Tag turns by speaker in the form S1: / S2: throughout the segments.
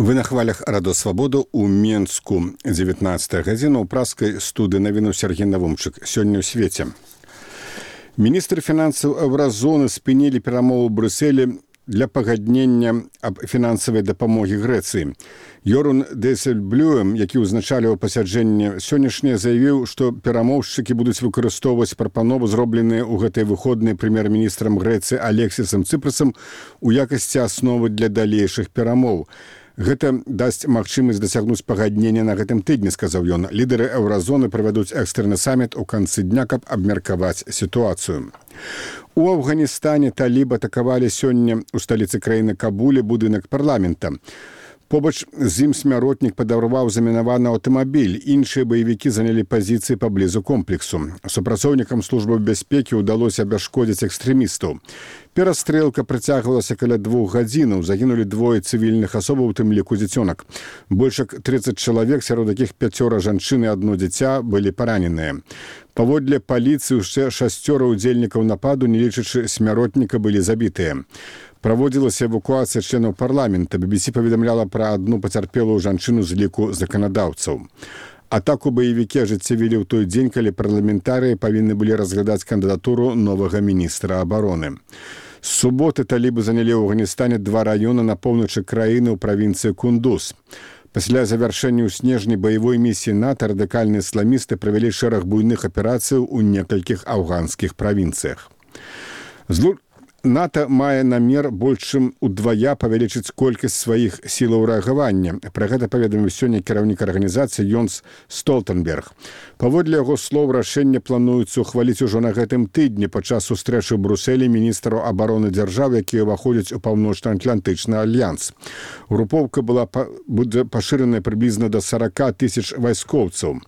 S1: Вы на хвалях Радо Свабоду у Менску 19 гадзіна ў праскай студыі навіну Сергей Навумчык. Сёння ў свеце. Міністр фінансаў Еўразоны спынілі перамовы ў Брюсселі для пагаднення аб фінансавай дапамогі Грэцыі. Йорун Дейсельблюем, які ўзначаліў пасяджэнне сённяшняе, заявіў, што перамоўшчыкі будуць выкарыстоўваць прапановы, зробленыя ў гэтыя выходныя прэм'ер-міністрам Грэцыі Алексісам Цыпрасам у якасці асновы для далейшых перамоў. Гэта дасць магчымасць дасягнуць пагаднення на гэтым тыдні, сказаў ён. Лідары Еўразоны правядуць экстраны саміт у канцы дня, каб абмеркаваць сітуацыю. У Афганістане талібы атакавалі сёння ў сталіцы краіны Кабуле будынак парламента. Побач з ім смяротнік падарваў замінаваны аўтамабіль. Іншыя баевікі занялі пазіцыі паблізу комплексу. Супрацоўнікам службы бяспекі ўдалося абясшкодзіць экстрэмістаў. Перастрэлка працягвалася каля 2 гадзінаў. Загінулі 2 цывільных асобаў, у тым ліку дзіцёнак. Больш як 30 чалавек, сярод якіх 5 жанчын і 1 дзіця, былі параненыя. Паводле паліцыі ўсе 6 удзельнікаў нападу, не лічачы смяротніка, былі забітыя. Праводзілася эвакуацыя членаў парламента. BBC паведамляла пра адну пацярпелую жанчыну з ліку заканадаўцаў. Атаку баевікі ажыццявілі ў той дзень, калі парламентарыі павінны былі разглядаць кандыдатуру новага міністра абароны. З суботы талібы занялі ў Афганістане 2 раёны на поўначы краіны ў правінцыі Кундуз. Пасля завяршэння ў снежні баявой місіі НАТО радыкальныя ісламісты правялі шэраг буйных аперацыяў у некалькіх афганскіх правінцыях. НАТО мае намер больш чым удвая павялічыць колькасць сваіх сілаў рэагавання. Пра гэта паведаміў сёння кіраўнік арганізацыі Йонс Столтенберг. Паводле яго слоў, рашэнне плануецца ухваліць ужо на гэтым тыдні падчас сустрэчы ў Брюсселі міністраў абароны дзяржаў, якія ўваходзяць у паўночна-атлантычны альянс. Групоўка будзе пашыраная прыблізна да 40 000 вайскоўцаў.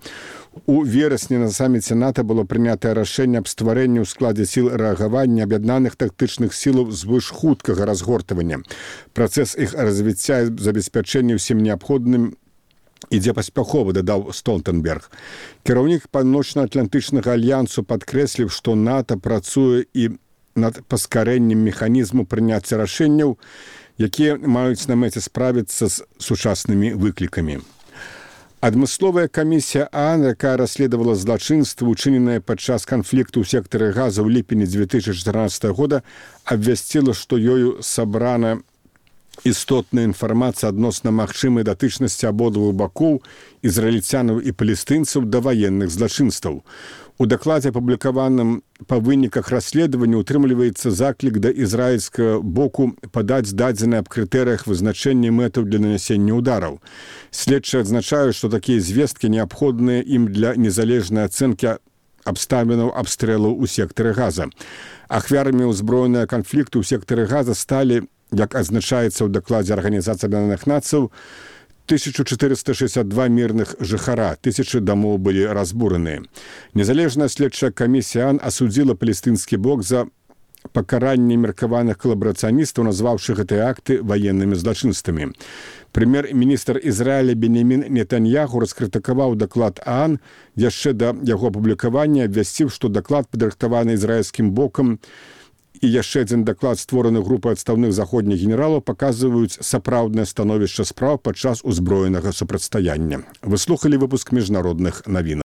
S1: У верасні на саміце НАТО было прынятае рашэнне аб стварэнні ў складзе сіл рэагавання аб'яднаных тактычных сілаў звышхуткага разгортвання. Працэс іх развіцця і забеспячэння ўсім неабходным ідзе паспяхова, дадаў Столтенберг. Кіраўнік паўночна-атлантычнага альянсу падкрэсліў, што НАТО працуе і над паскарэннем механізму прыняцця рашэнняў, якія маюць на мэце справіцца з сучаснымі выклікамі. Адмысловая камісія ААН, якая расследавала злачынствы, учыненыя падчас канфлікту ў сектары Газа ў ліпені 2014 года, абвясціла, што ёю сабрана істотная інфармацыя адносна магчымай датычнасці абодвух бакоў, ізраільцянаў і палестынцаў, да ваенных злачынстваў. У дакладзе, апублікаваным па выніках расследавання, утрымліваецца заклік да ізраільскага боку падаць дадзеныя аб крытэрыях вызначэння мэтаў для нанясення ўдараў. Следчыя адзначаюць, што такія звесткі неабходныя ім для незалежнай ацэнкі абставінаў абстрэлаў у сектары Газа. Ахвярамі ўзброенага канфлікту ў сектары Газа сталі, як адзначаецца ў дакладзе Арганізацыі Аб'яднаных Нацый, 1462 мірных жыхара, 1000 дамоў былі разбураныя. Незалежная следчая камісія ААН асудзіла палестынскі бок за пакаранне меркаваных калабарацыяністаў, назваўшы гэтыя акты ваеннымі злачынствамі. Прэм'ер-міністр Ізраіля Бенямін Нетаньяху раскрытыкаваў даклад ААН яшчэ да яго апублікавання, абвясціў, што даклад, падрыхтаваны ізраільскім бокам, і яшчэ адзін даклад, створаны групай адстаўных заходніх генералаў, паказваюць сапраўднае становішча спраў падчас узброенага супрацьстаяння. Вы слухалі выпуск міжнародных навін.